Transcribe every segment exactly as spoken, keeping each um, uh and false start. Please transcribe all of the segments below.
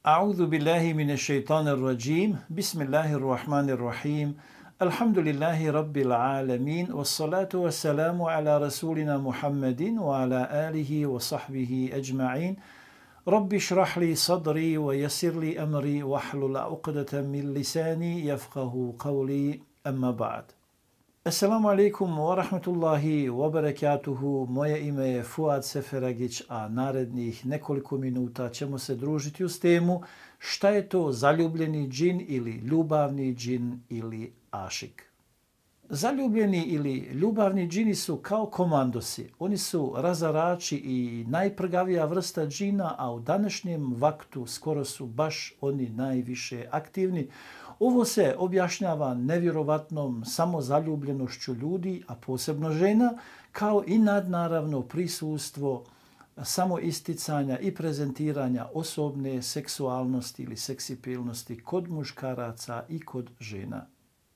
A'udhu billahi minash shaitanir rajim. Bismillahir rahmanir rahim. Alhamdulillahi rabbil alamin. Wassalatu wassalamu ala rasulina Muhammadin wa ala alihi wa sahbihi ajma'in. Rabbi shrah li sadri wa yassir li amri wahlul 'uqdatan min lisani yafqahu qawli. Amma ba'd. Assalamu alaikum wa rahmatullahi wa barakatuhu. Moje ime je Fuad Seferagić, a narednih nekoliko minuta ćemo se družiti uz temu šta je to zaljubljeni džin ili ljubavni džin ili ašik. Zaljubljeni ili ljubavni džini su kao komandosi. Oni su razarači i najprgavija vrsta džina, a u današnjem vaktu skoro su baš oni najviše aktivni. Ovo se objašnjava nevjerovatnom samozaljubljenošću ljudi, a posebno žena, kao i nadnaravno prisustvo samoisticanja i prezentiranja osobne seksualnosti ili seksipilnosti kod muškaraca i kod žena.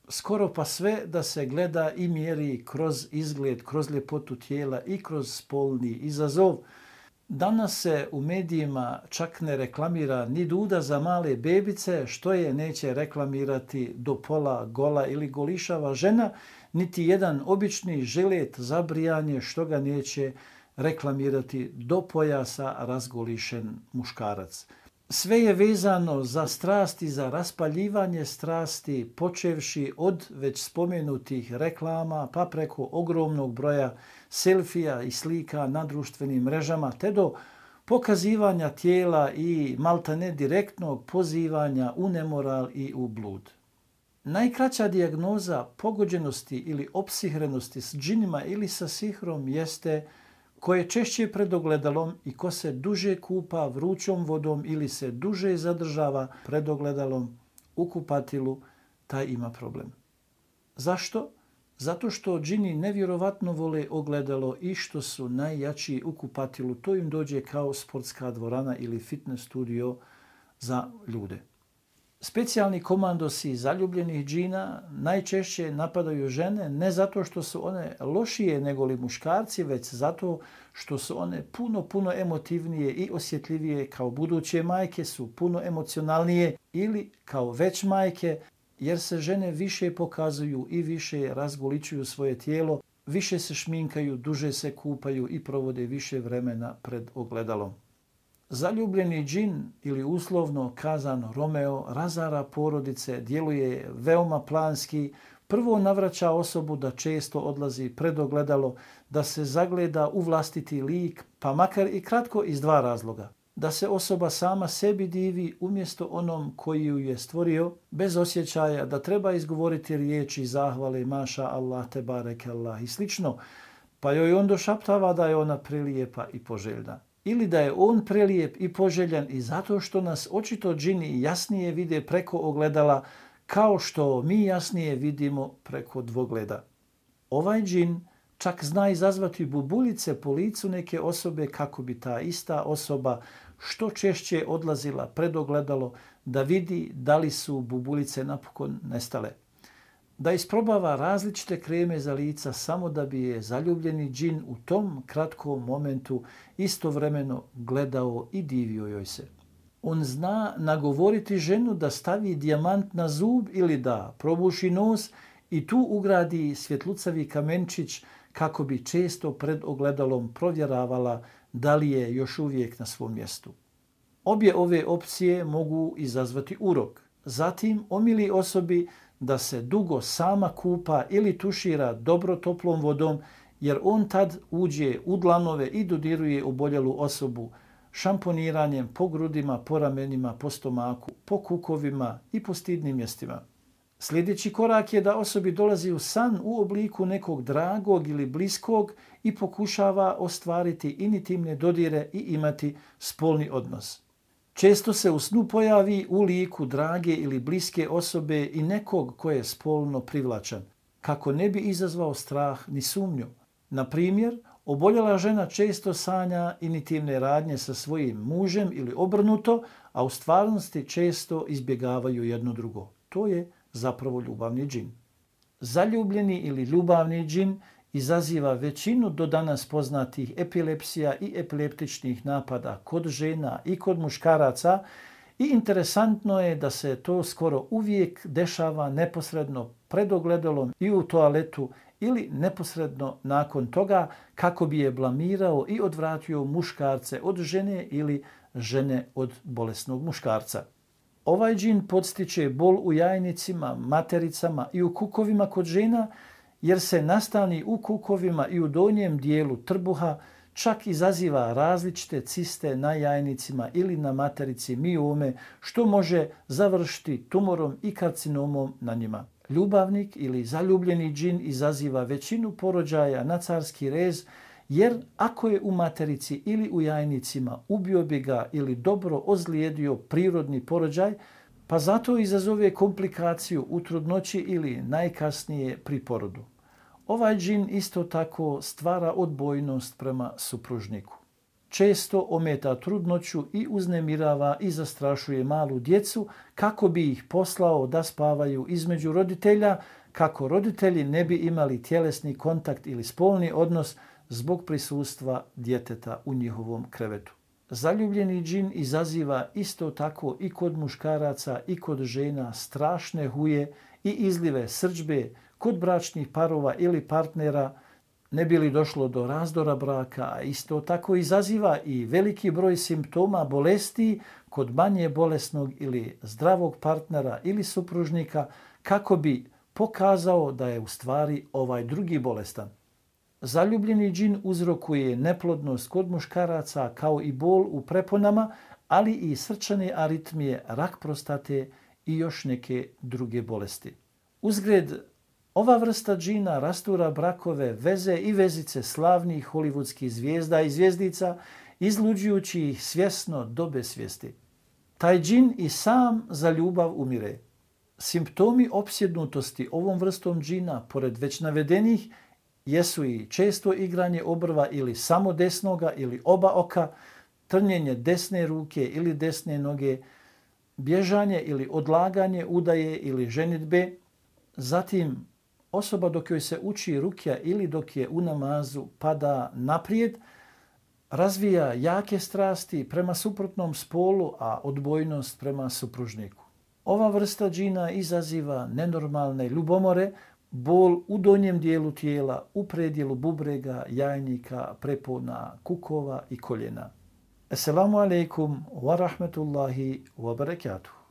Skoro pa sve da se gleda i mjeri kroz izgled, kroz ljepotu tijela i kroz spolni izazov. Danas se u medijima čak ne reklamira ni duda za male bebice, što je neće reklamirati do pola gola ili golišava žena, niti jedan obični žilet za brijanje, što ga neće reklamirati do pojasa razgolišen muškarac. Sve je vezano za strasti, za raspaljivanje strasti, počevši od već spomenutih reklama, pa preko ogromnog broja selfija i slika na društvenim mrežama, te do pokazivanja tijela i maltene direktnog pozivanja u nemoral i u blud. Najkraća dijagnoza pogođenosti ili opsihrenosti s džinima ili sa sihrom jeste ko je češće pred ogledalom i ko se duže kupa vrućom vodom ili se duže zadržava pred ogledalom u kupatilu, taj ima problem. Zašto? Zato što džini nevjerovatno vole ogledalo i što su najjači u kupatilu. To im dođe kao sportska dvorana ili fitness studio za ljude. Specijalni komandosi zaljubljenih džina najčešće napadaju žene ne zato što su one lošije nego li muškarci, već zato što su one puno, puno emotivnije i osjetljivije, kao buduće majke su puno emocionalnije ili kao već majke, jer se žene više pokazuju i više razgoličuju svoje tijelo, više se šminkaju, duže se kupaju i provode više vremena pred ogledalom. Zaljubljeni džin ili uslovno kazano Romeo razara porodice, djeluje veoma planski, prvo navraća osobu da često odlazi pred ogledalo, da se zagleda u vlastiti lik, pa makar i kratko iz dva razloga. Da se osoba sama sebi divi umjesto onom koji ju je stvorio, bez osjećaja da treba izgovoriti riječi zahvale, maša Allah, te barek Allah i slično, pa joj on došaptava da je ona prelijepa i poželjna. Ili da je on prelijep i poželjan i zato što nas očito džini jasnije vide preko ogledala, kao što mi jasnije vidimo preko dvogleda. Ovaj džin čak zna izazvati bubuljice po licu neke osobe kako bi ta ista osoba što češće odlazila pred ogledalo da vidi da li su bubuljice napokon nestale. Da isprobava različite kreme za lica samo da bi je zaljubljeni džin u tom kratkom momentu istovremeno gledao i divio joj se. On zna nagovoriti ženu da stavi dijamant na zub ili da probuši nos i tu ugradi svjetlucavi kamenčić kako bi često pred ogledalom provjeravala da li je još uvijek na svom mjestu. Obje ove opcije mogu izazvati urok. Zatim omili osobi da se dugo sama kupa ili tušira dobro toplom vodom, jer on tad uđe u dlanove i dodiruje oboljelu osobu šamponiranjem po grudima, po ramenima, po stomaku, po kukovima i po stidnim mjestima. Sljedeći korak je da osobi dolazi u san u obliku nekog dragog ili bliskog i pokušava ostvariti intimne dodire i imati spolni odnos. Često se u snu pojavi u liku drage ili bliske osobe i nekog ko je spolno privlačan, kako ne bi izazvao strah ni sumnju. Na primjer, oboljela žena često sanja intimne radnje sa svojim mužem ili obrnuto, a u stvarnosti često izbjegavaju jedno drugo. To je zapravo ljubavni džin. Zaljubljeni ili ljubavni džin izaziva većinu do danas poznatih epilepsija i epileptičnih napada kod žena i kod muškaraca I interesantno je da se to skoro uvijek dešava neposredno pred ogledalom i u toaletu ili neposredno nakon toga kako bi je blamirao i odvratio muškarce od žene ili žene od bolesnog muškarca. Ovaj džin podstiče bol u jajnicima, matericama i u kukovima kod žena jer se nastani u kukovima i u donjem dijelu trbuha, čak izaziva različite ciste na jajnicima ili na materici miome, što može završiti tumorom i karcinomom na njima. Ljubavnik ili zaljubljeni džin izaziva većinu porođaja na carski rez, jer ako je u materici ili u jajnicima, ubio bi ga ili dobro ozlijedio prirodni porođaj, pa zato izazove komplikaciju u trudnoći ili najkasnije pri porodu. Ovaj džin isto tako stvara odbojnost prema supružniku. Često ometa trudnoću i uznemirava i zastrašuje malu djecu kako bi ih poslao da spavaju između roditelja, kako roditelji ne bi imali tjelesni kontakt ili spolni odnos zbog prisustva djeteta u njihovom krevetu. Zaljubljeni džin izaziva isto tako i kod muškaraca i kod žena strašne huje i izlive srdžbe kod bračnih parova ili partnera, ne bi li došlo do razdora braka, a isto tako izaziva i veliki broj simptoma bolesti kod manje bolesnog ili zdravog partnera ili supružnika kako bi pokazao da je u stvari ovaj drugi bolestan. Zaljubljeni džin uzrokuje neplodnost kod muškaraca kao i bol u preponama, ali i srčane aritmije, rak prostate i još neke druge bolesti. Uzgred, ova vrsta džina rastura brakove, veze i vezice slavnih hollywoodskih zvijezda i zvijezdica, izluđujući ih svjesno do besvijesti. Taj džin i sam za ljubav umire. Simptomi opsjednutosti ovom vrstom džina, pored već navedenih, jesu i često igranje obrva ili samo desnoga ili oba oka, trnjenje desne ruke ili desne noge, bježanje ili odlaganje udaje ili ženidbe, zatim osoba dok joj se uči rukja ili dok je u namazu pada naprijed, razvija jake strasti prema suprotnom spolu, a odbojnost prema supružniku. Ova vrsta džina izaziva nenormalne ljubomore, bol u donjem dijelu tijela, u predjelu bubrega, jajnika, prepona, kukova i koljena. Assalamu alaikum wa rahmetullahi wa barakatuh.